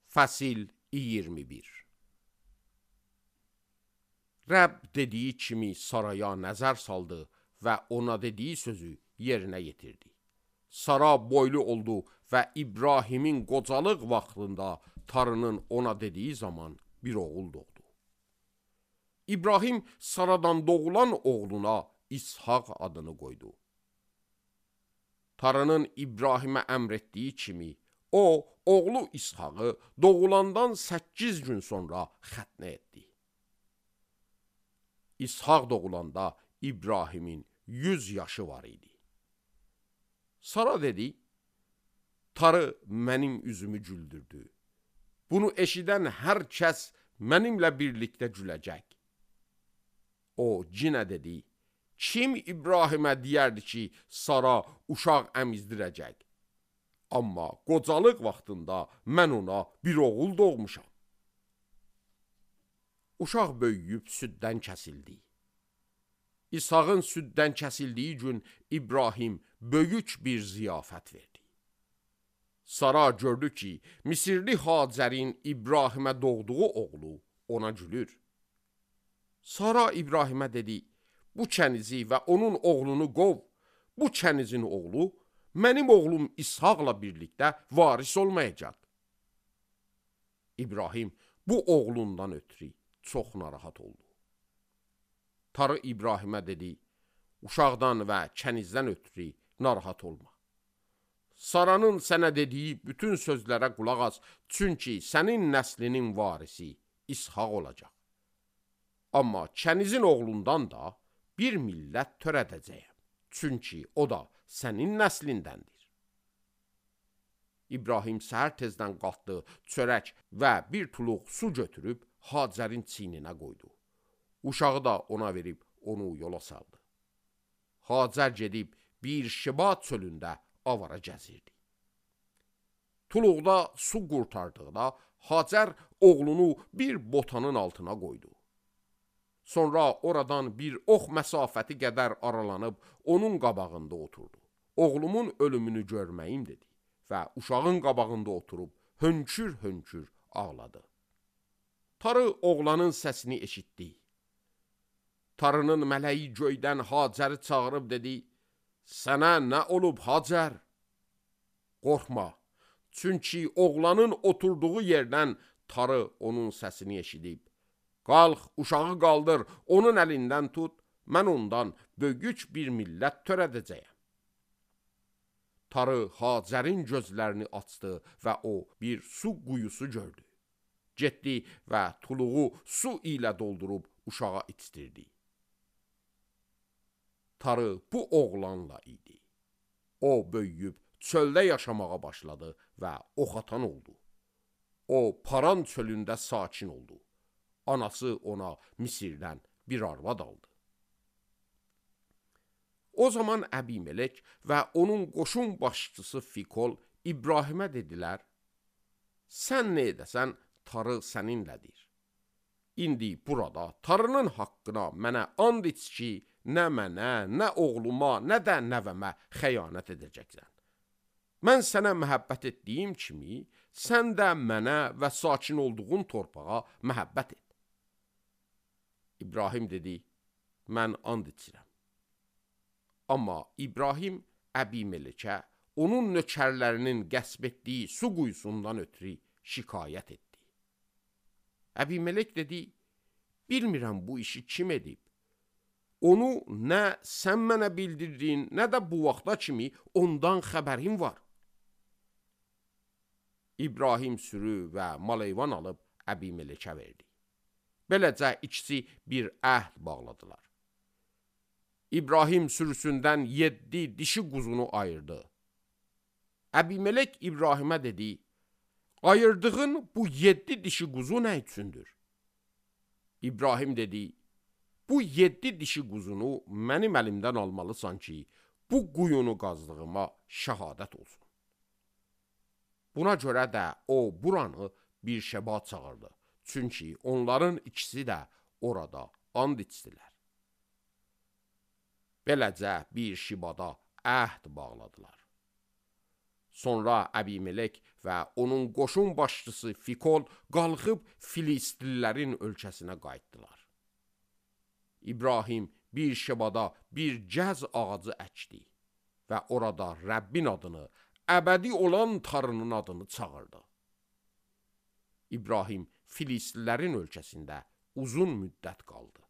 Fəsil 21. Rəbb dediyi kimi Saraya nəzər saldı və ona dediyi sözü yerinə yetirdi. Sara boylu oldu və İbrahimin qocalıq vaxtında Tarının ona dediyi zaman bir oğul doğdu. İbrahim Saradan doğulan oğluna İshaq adını qoydu. Tarının İbrahimə əmr etdiyi kimi, o, oğlu İshaqı doğulandan 8 gün sonra xətnə etdi. İshaq doğulanda İbrahimin 100 yaşı var idi. Sara dedi, Tarı mənim üzümü güldürdü. Bunu eşidən hər kəs mənimlə birlikdə güləcək. O cinə dedi, kim İbrahimə deyərdi ki, Sara uşaq əmizdirəcək? Amma qocalıq vaxtında mən ona bir oğul doğmuşam. Uşaq böyüyüb süddən kəsildi. İshaqın süddən kəsildiyi gün İbrahim böyük bir ziyafət verdi. Sara gördü ki, Misirli Hacərin İbrahimə doğduğu oğlu ona gülür. Sara İbrahimə dedi, bu kənizi və onun oğlunu qov, bu kənizin oğlu mənim oğlum İshaqla birlikdə varis olmayacaq. İbrahim bu oğlundan ötürü çox narahat oldu. Tarı İbrahimə dedi, uşaqdan və kənizdən ötürü narahat olma. Saranın sənə dediyi bütün sözlərə qulaq as, çünki sənin nəslinin varisi İshaq olacaq. Amma kənizin oğlundan da bir millət törədəcəyəm, çünki o da sənin nəslindəndir. İbrahim səhər tezdən qalxdı, çörək və bir tuluq su götürüb Hacərin çiyninə qoydu. Uşağı da ona verib onu yola saldı. Hacər gedib bir Şiba çölündə avara gəzirdi. Tuluqda su qurtardıqda Hacər oğlunu bir botanın altına qoydu. Sonra oradan bir ox məsafəti qədər aralanıb onun qabağında oturdu. Oğlumun ölümünü görməyim dedi və uşağın qabağında oturub hönkür-hönkür ağladı. Tarı oğlanın səsini eşitdi. Tarının mələyi göydən Hacəri çağırıb dedi, sənə nə olub Hacər? Qorxma, çünki oğlanın oturduğu yerdən Tarı onun səsini eşidib. Qalx, uşağı qaldır, onun əlindən tut, mən ondan böyük bir millət törədəcəyəm. Tarı Hacərin gözlərini açdı və o bir su quyusu gördü. Getdi və tuluğu su ilə doldurub uşağa içdirdi. Tarı bu oğlanla idi. O böyüyüb çöldə yaşamağa başladı və oxatan oldu. O Paran çölündə sakin oldu. Anası ona Misirdən bir arvad aldı. O zaman Əbimelek və onun qoşun başçısı Fikol İbrahimə dedilər, sən nə edəsən, Tarı səninlədir. İndi burada Tarının haqqına mənə and iç ki, nə mənə, nə oğluma, nə də nəvəmə xəyanət edəcəksən. Mən sənə məhəbbət etdiyim kimi, sən də mənə və sakin olduğun torpağa məhəbbət et. İbrahim dedi, mən and içirəm. Amma İbrahim Əbimelekə onun nökərlərinin qəsb etdiyi su quyusundan ötürü şikayət etdi. Əbimelek dedi, bilmirəm bu işi kim edib. Onu nə sən mənə bildirdin, nə də bu vaxta kimi ondan xəbərim var. İbrahim sürü və maleyvan alıb Əbimelekə verdi. Beləcə ikisi bir əhd bağladılar. İbrahim sürüsündən 7 dişi quzunu ayırdı. Əbimelek İbrahimə dedi, ayırdığın bu 7 dişi quzu nə üçündür? İbrahim dedi, bu 7 dişi quzunu mənim əlimdən almalısan ki, bu quyunu qazdığıma şəhadət olsun. Buna görə də o buranı bir Şeba çağırdı. Çünki onların ikisi də orada and içdilər. Beləcə bir Şibada əhd bağladılar. Sonra Əbimelek və onun qoşun başçısı Fikol qalxıb Filistlilərin ölkəsinə qayıtdılar. İbrahim bir şebada bir cəz ağacı əkdi və orada Rəbbin adını, əbədi olan Tanrının adını çağırdı. İbrahim Filistlilərin ölkəsində uzun müddət qaldı.